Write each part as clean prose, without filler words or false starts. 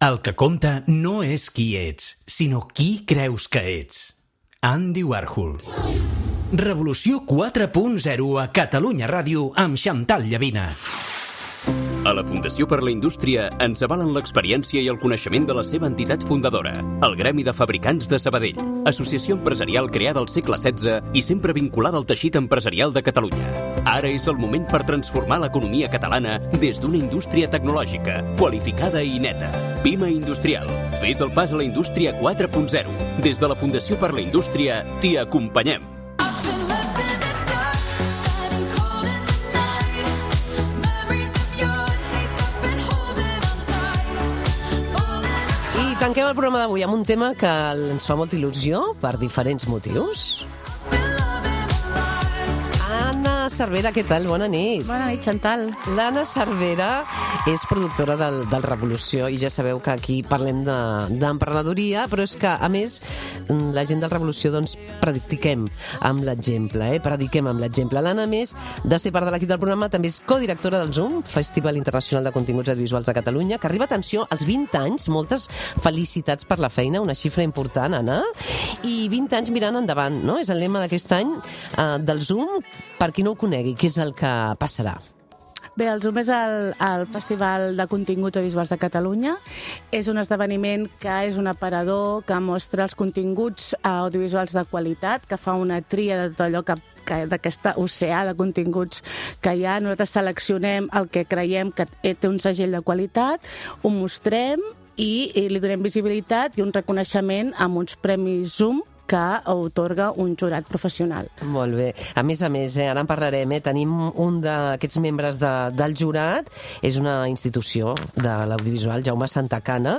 El que compta no és qui ets, sinó qui creus que ets. Andy Warhol. Revolució 4.0 a Catalunya Ràdio amb Xantal Llavina. A la Fundació per la Indústria ens avalen l'experiència i el coneixement de la seva entitat fundadora, el Gremi de Fabricants de Sabadell, associació empresarial creada al segle XVI i sempre vinculada al teixit empresarial de Catalunya. Ara és el moment per transformar l'economia catalana des d'una indústria tecnològica, qualificada i neta. Pima Industrial. Fes el pas a la indústria 4.0. Des de la Fundació per la Indústria t'hi acompanyem. Tanquem el programa d'avui amb un tema que ens fa molta il·lusió per diferents motius. Anna Cervera, què tal? Bona nit. Bona nit, Xantal. L'Anna Cervera és productora del Revolució i ja sabeu que aquí parlem d'emprenedoria, però és que, a més, la gent del Revolució doncs prediquem amb l'exemple, prediquem amb l'exemple. L'Anna, a més de ser part de l'equip del programa, també és codirectora del Zoom, Festival Internacional de Continguts Audiovisuals de Catalunya, que arriba, atenció, als 20 anys. Moltes felicitats per la feina, una xifra important, Anna. I 20 anys mirant endavant, no? És el lema d'aquest any del Zoom. Per qui no ho conegui, què és el que passarà? Bé, el Zoom és el Festival de Continguts Audiovisuals de Catalunya. És un esdeveniment que és un aparador que mostra els continguts audiovisuals de qualitat, que fa una tria de tot allò d'aquest oceà de continguts que hi ha. Nosaltres seleccionem el que creiem que té un segell de qualitat, ho mostrem i li donem visibilitat i un reconeixement amb uns premis Zoom que atorga un jurat professional. Molt bé. A més, ara en parlarem, tenim un d'aquests membres del jurat, és una institució de l'audiovisual, Jaume Santacana,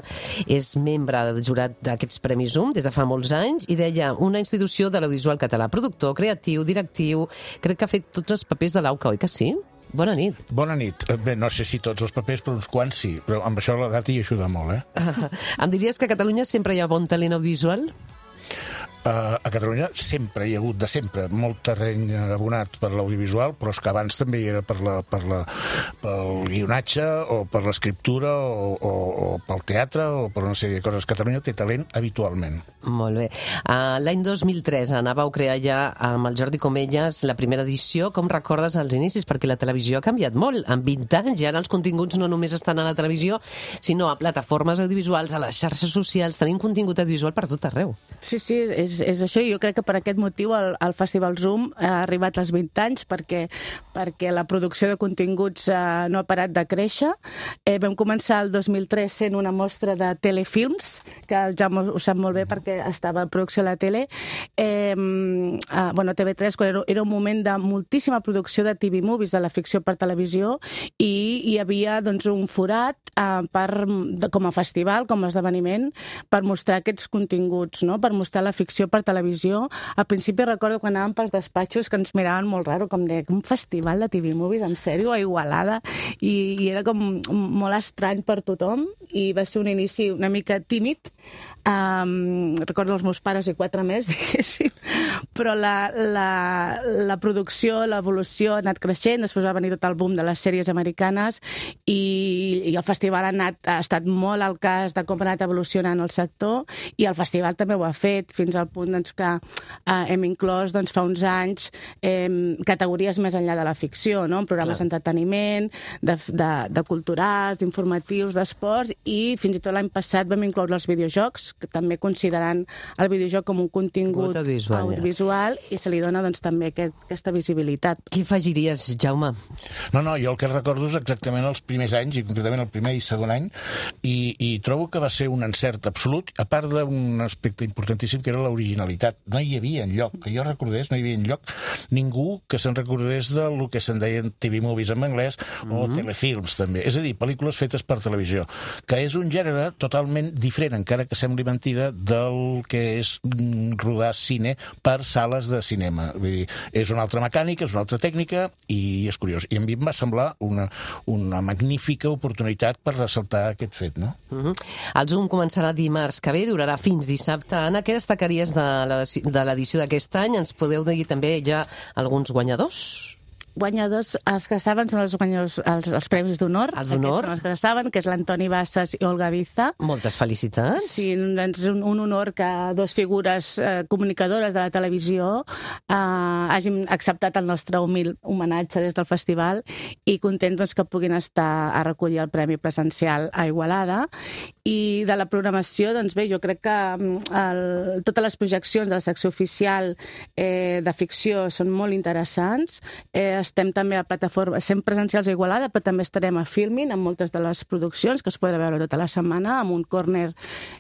és membre del jurat d'aquests Premis Zoom des de fa molts anys i deia una institució de l'audiovisual català, productor, creatiu, directiu, crec que ha fet tots els papers de l'AUCA, oi que sí? Bona nit. Bona nit. Bé, no sé si tots els papers, però uns quants sí, però amb això l'edat hi ajuda molt, Em diries que a Catalunya sempre hi ha bon talent audiovisual? A Catalunya sempre hi ha hagut, de sempre, molt terreny abonat per l'audiovisual, però és que abans també hi era pel guionatge o per l'escriptura o pel teatre o per una sèrie de coses. Catalunya té talent habitualment. Molt bé. L'any 2003, Anna, vau crear ja amb el Jordi Comelles la primera edició. Com recordes els inicis? Perquè la televisió ha canviat molt. En 20 anys ja els continguts no només estan a la televisió, sinó a plataformes audiovisuals, a les xarxes socials. Tenim contingut audiovisual per tot arreu. Sí, és això, i jo crec que per aquest motiu el Festival Zoom ha arribat als 20 anys perquè la producció de continguts no ha parat de créixer. Vam començar el 2003 sent una mostra de telefilms, que ja ho sap molt bé perquè estava en producció a la tele. TV3, quan era un moment de moltíssima producció de TV movies, de la ficció per televisió, i hi havia doncs, un forat com a festival, com a esdeveniment, per mostrar aquests continguts, no? Per mostrar la ficció per televisió. Al principi recordo quan anàvem pels despatxos que ens miraven molt raro, com de un festival de TV movies, en sèrio, a Igualada, i era com molt estrany per tothom, i va ser un inici una mica tímid. Recordo els meus pares i 4 més, diguéssim, però la producció, l'evolució ha anat creixent, després va venir tot el boom de les sèries americanes i el festival ha estat molt al cas de com ha anat evolucionant el sector, i el festival també ho ha fet, fins al punt que hem inclòs fa uns anys categories més enllà de la ficció, no? En programes d'entreteniment, de culturals, d'informatius, d'esports, i fins i tot l'any passat vam incloure els videojocs, que també considerant el videojoc com un contingut audiovisual, i se li dona també aquesta visibilitat. Què afegiries, Jaume? No, jo el que recordo és exactament els primers anys, i concretament el primer i segon any, i trobo que va ser un encert absolut, a part d'un aspecte importantíssim que era l'originalitat. No hi havia enlloc, que jo recordés, no hi havia enlloc ningú que se'n recordés del que se'n deien TV movies en anglès o telefilms, també. És a dir, pel·lícules fetes per televisió, que és un gènere totalment diferent, encara que sembli mentida, del que és rodar cine per sales de cinema. Vull dir, és una altra mecànica, és una altra tècnica, i és curiós. I a mi em va semblar una magnífica oportunitat per ressaltar aquest fet, no? El Zoom començarà dimarts que ve, durarà fins dissabte. Anna, què destacaries de l'edició d'aquest any? Ens podeu dir també ja alguns guanyadors? guanyadors, els que saben, són els guanyadors, els premis d'honor. Els d'honor. Aquests són els que saben, que és l'Antoni Bassas i Olga Viza. Moltes felicitats. Sí, és un honor que dos figures comunicadores de la televisió hagin acceptat el nostre humil homenatge des del festival i contents doncs, que puguin estar a recollir el premi presencial a Igualada. I de la programació, doncs bé, jo crec que totes les projeccions de la secció oficial de ficció són molt interessants. Estem també a plataforma, estem presencials a Igualada, però també estarem a Filmin amb moltes de les produccions que es podrà veure tota la setmana, amb un corner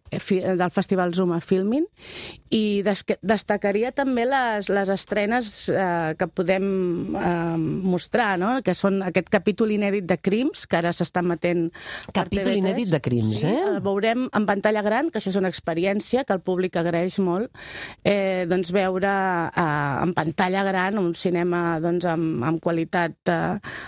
del Festival Zoom a Filmin. I destacaria també les estrenes que podem mostrar, no? Que són aquest capítol inèdit de Crims, que ara s'està emetent per Capítol TV3. inèdit de Crims, Sí, el veurem en pantalla gran, que això és una experiència que el públic agraeix molt, doncs veure en pantalla gran un cinema doncs, amb qualitat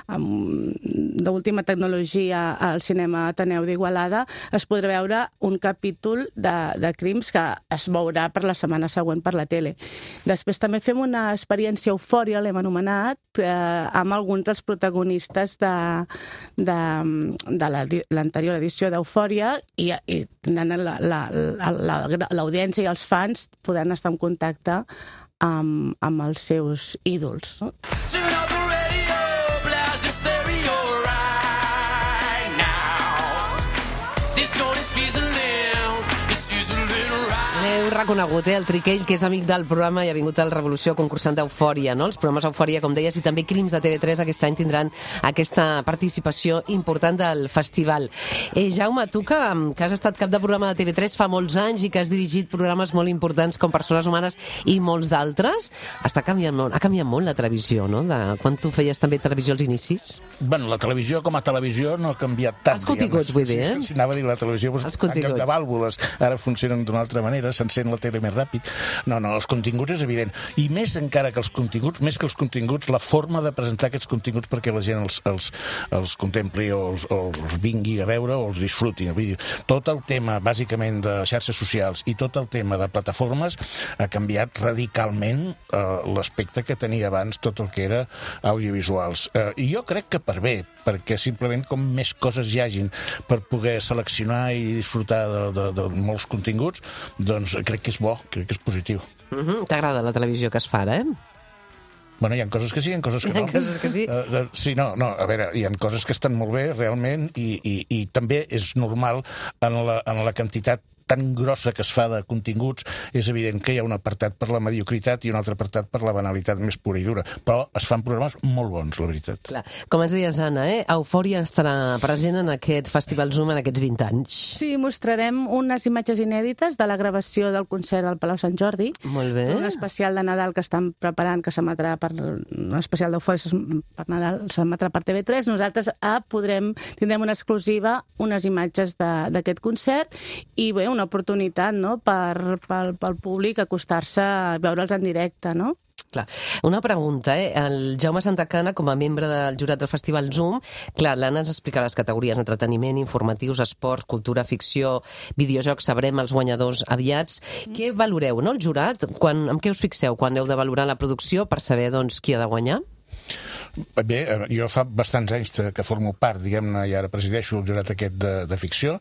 d'última tecnologia al cinema Ateneu d'Igualada. Es podrà veure un capítol de Crims que es veurà per la setmana següent per la tele. Després també fem una experiència Eufòria, l'hem anomenat, amb alguns dels protagonistes de l'anterior edició d'Eufòria i l'audiència i els fans podran estar en contacte amb els seus ídols. No? L'heu reconegut, el Triquell, que és amic del programa i ha vingut al Revolució concursant d'Eufòria, no? Els programes Eufòria, com deies, i també Crims de TV3 aquest any tindran aquesta participació important del festival. Jaume, tu que has estat cap de programa de TV3 fa molts anys i que has dirigit programes molt importants com Persones Humanes i molts d'altres, ha canviat molt la televisió, no? De quan tu feies també televisió als inicis? Bueno, la televisió com a televisió no ha canviat tant. Els continguts, vull dir, Sí, anava a dir la televisió, en lloc de vàlvules, ara funcionen d'una altra manera, s'encén la tele més ràpid. No, els continguts és evident. I més encara que els continguts, més que els continguts, la forma de presentar aquests continguts perquè la gent els contempli o els vingui a veure o els disfruti. Tot el tema, bàsicament, de xarxes socials i tot el tema de plataformes ha canviat radicalment l'aspecte que tenia abans tot el que era audiovisuals. I jo crec que per bé, perquè simplement com més coses hi hagin per poder seleccionar i disfrutar de molts continguts, doncs crec que és bo, crec que és positiu. T'agrada la televisió que es fa ara, Bueno, hi ha coses que sí, hi ha coses que no. Hi ha coses que sí? Sí, no, a veure, hi ha coses que estan molt bé, realment, i també és normal en la quantitat tan grossa que es fa de continguts, és evident que hi ha un apartat per la mediocritat i un altre apartat per la banalitat més pura i dura. Però es fan programes molt bons, la veritat. Clar. Com ens deies, Anna, Eufòria estarà present en aquest Festival Zoom en aquests 20 anys. Sí, mostrarem unes imatges inèdites de la gravació del concert del Palau Sant Jordi. Molt bé. Un especial de Nadal que estan preparant, que s'emetrà un especial d'Eufòria per Nadal, s'emetrà per TV3. Nosaltres tindrem una exclusiva, unes imatges d'aquest concert i bé, una oportunitat, no?, pel públic acostar-se a veure'ls en directe, no? Clar. Una pregunta, el Jaume Santacana, com a membre del jurat del Festival Zoom, clar, l'Anna ens explica les categories entreteniment, informatius, esports, cultura, ficció, videojocs, sabrem els guanyadors aviats. Què valoreu, no, el jurat? Amb què us fixeu quan heu de valorar la producció per saber, doncs, qui ha de guanyar? Bé, jo fa bastants anys que formo part, diguem-ne, i ara presideixo el jurat aquest de ficció,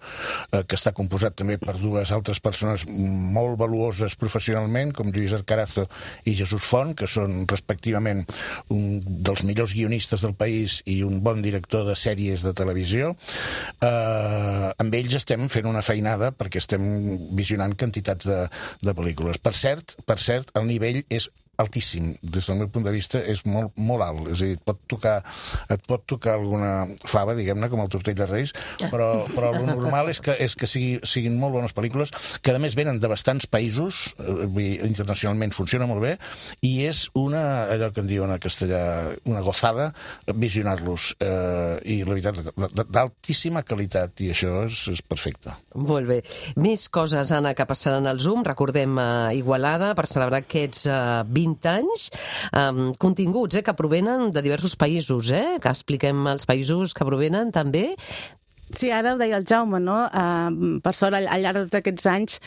que està composat també per dues altres persones molt valuoses professionalment, com Lluís Arcarazo i Jesús Font, que són respectivament un dels millors guionistes del país i un bon director de sèries de televisió. Amb ells estem fent una feinada perquè estem visionant quantitats de pel·lícules. Per cert, el nivell és altíssim. Des del meu punt de vista és molt, molt alt. És a dir, et pot tocar alguna fava, diguem-ne, com el Tortell de Reis, però el normal és que siguin molt bones pel·lícules, que a més venen de bastants països, internacionalment funciona molt bé, i és allò que en diuen en castellà, una gozada visionar-los. I la veritat, d'altíssima qualitat, i això és perfecte. Molt bé. Més coses, Anna, que passaran al Zoom. Recordem Igualada, per celebrar aquests 20 anys, continguts que provenen de diversos països, que expliquem els països que provenen també Sí, ara ho deia el Jaume, no? Per sort, al llarg de tots aquests anys,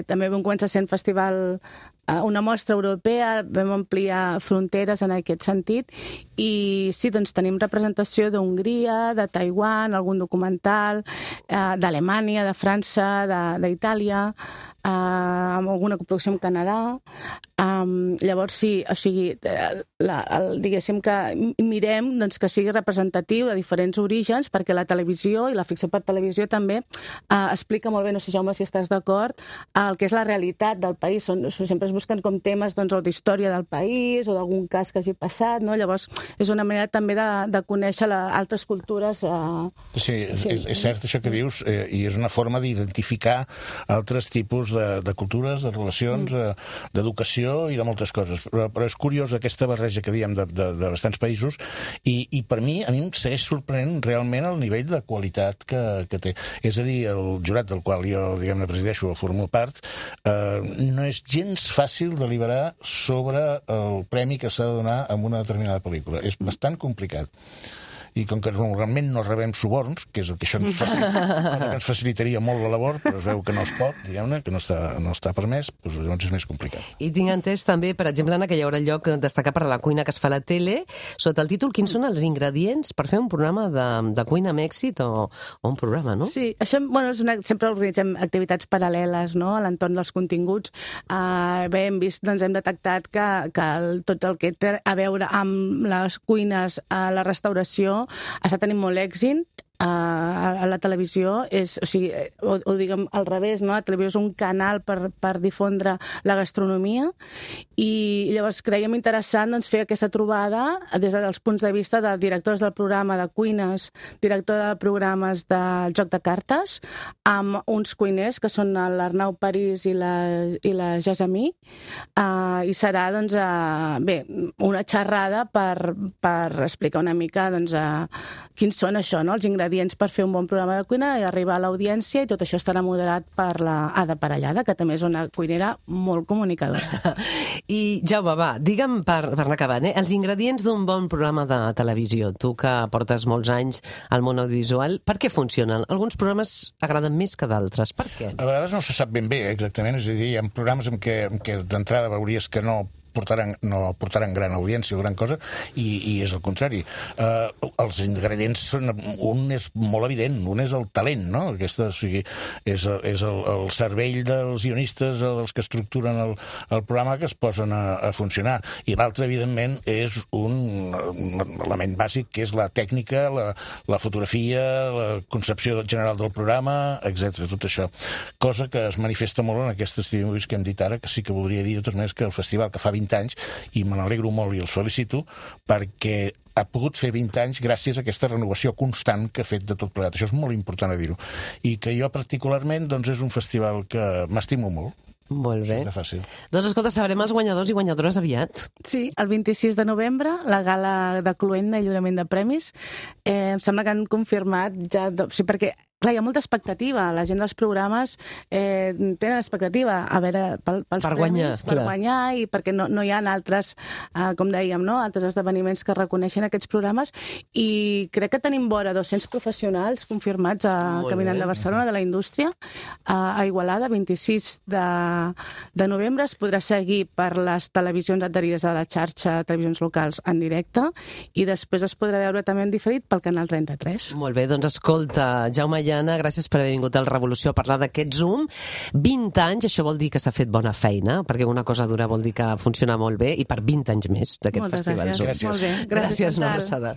també vam començar sent festival, una mostra europea, vam ampliar fronteres en aquest sentit, i sí, doncs tenim representació d'Hongria, de Taiwan, algun documental, d'Alemanya, de França, d'Itàlia, amb alguna coproducció amb Canadà. Llavors, sí, o sigui, diguéssim que mirem doncs, que sigui representatiu de diferents orígens, perquè la televisió i la ficció per televisió també explica molt bé, no sé, Jaume, si estàs d'acord, el que és la realitat del país. Sempre es busquen com temes doncs, o d'història del país o d'algun cas que hagi passat, no? Llavors, és una manera també de conèixer altres cultures. Sí, és cert això que dius, i és una forma d'identificar altres tipus de cultures, de relacions, d'educació i de moltes coses. Però és curiós aquesta barreja que diem de bastants països, i per mi, a mi em segueix sorprenent realment el nivell de qualitat que té. És a dir, el jurat del qual jo, diguem-ne, presideixo o formo part, no és gens fàcil deliberar sobre el premi que s'ha de donar a una determinada pel·lícula. És bastant complicat. I com que normalment no rebem suborns, que és el que això ens facilitaria molt la labor, però es veu que no es pot, diguem-ne, que no està permès, doncs llavors és més complicat. I tinc entès també, per exemple, Anna, que hi haurà lloc destacar per la cuina que es fa a la tele, sota el títol Quins són els ingredients per fer un programa de cuina amb èxit o un programa, no? Sí, això, bueno, sempre organitzem activitats paral·leles, no?, a l'entorn dels continguts. Bé, hem vist, doncs hem detectat que tot el que té a veure amb les cuines, la restauració, està tenint molt èxit. A la televisió o diguem al revés, no? La televisió és un canal per difondre la gastronomia, i llavors creiem interessant doncs, fer aquesta trobada des dels punts de vista de directors del programa de cuines, director de programes de joc de cartes, amb uns cuiners que són l'Arnau París i la Jasamí, i serà doncs, una xerrada per explicar una mica doncs, quins són això, no? Els ingredients per fer un bon programa de cuina i arribar a l'audiència, i tot això estarà moderat per la Ada Parellada, que també és una cuinera molt comunicadora. I Jaume, va, digue'm per anar acabant, els ingredients d'un bon programa de televisió. Tu que portes molts anys al món audiovisual, per què funcionen? Alguns programes agraden més que d'altres. Per què? A vegades no se sap ben bé, exactament. És a dir, hi ha programes en què d'entrada veuries que no portaran gran audiència o gran cosa, i és el contrari. Els ingredients són... Un és molt evident, un és el talent, no? Aquesta, o sigui, és el cervell dels guionistes, dels que estructuren el programa, que es posen a funcionar. I l'altre, evidentment, és un element bàsic, que és la tècnica, la fotografia, la concepció general del programa, etc. Tot això. Cosa que es manifesta molt en aquestes TV-movies que hem dit ara, que sí que voldria dir, de totes maneres, que el festival, que fa 20 anys, i me n'alegro molt i els felicito, perquè ha pogut fer 20 anys gràcies a aquesta renovació constant que ha fet de tot plegat. Això és molt important a dir-ho. I que jo particularment doncs, és un festival que m'estimo molt. Molt bé. És fàcil. Doncs escolta, sabrem els guanyadors i guanyadores aviat. Sí, el 26 de novembre, la gala de Cluenda i lliurament de premis. Em sembla que han confirmat ja... Sí, perquè clar, hi ha molta expectativa. La gent dels programes tenen expectativa a veure pels premis, per guanyar, i perquè no hi ha altres, com dèiem, no? Altres esdeveniments que reconeixen aquests programes, i crec que tenim vora 200 professionals confirmats a Caminant de Barcelona, de la indústria, a Igualada, 26 de novembre. Es podrà seguir per les televisions adherides a la xarxa de televisions locals en directe, i després es podrà veure també en diferit pel canal 33. Molt bé, doncs escolta, Jaume i Anna, gràcies per haver vingut al Revolució a parlar d'aquest Zoom. 20 anys, això vol dir que s'ha fet bona feina, perquè una cosa dura vol dir que funciona molt bé, i per 20 anys més d'aquest festival Zoom. Gràcies. Molt bé. Gràcies, una abraçada.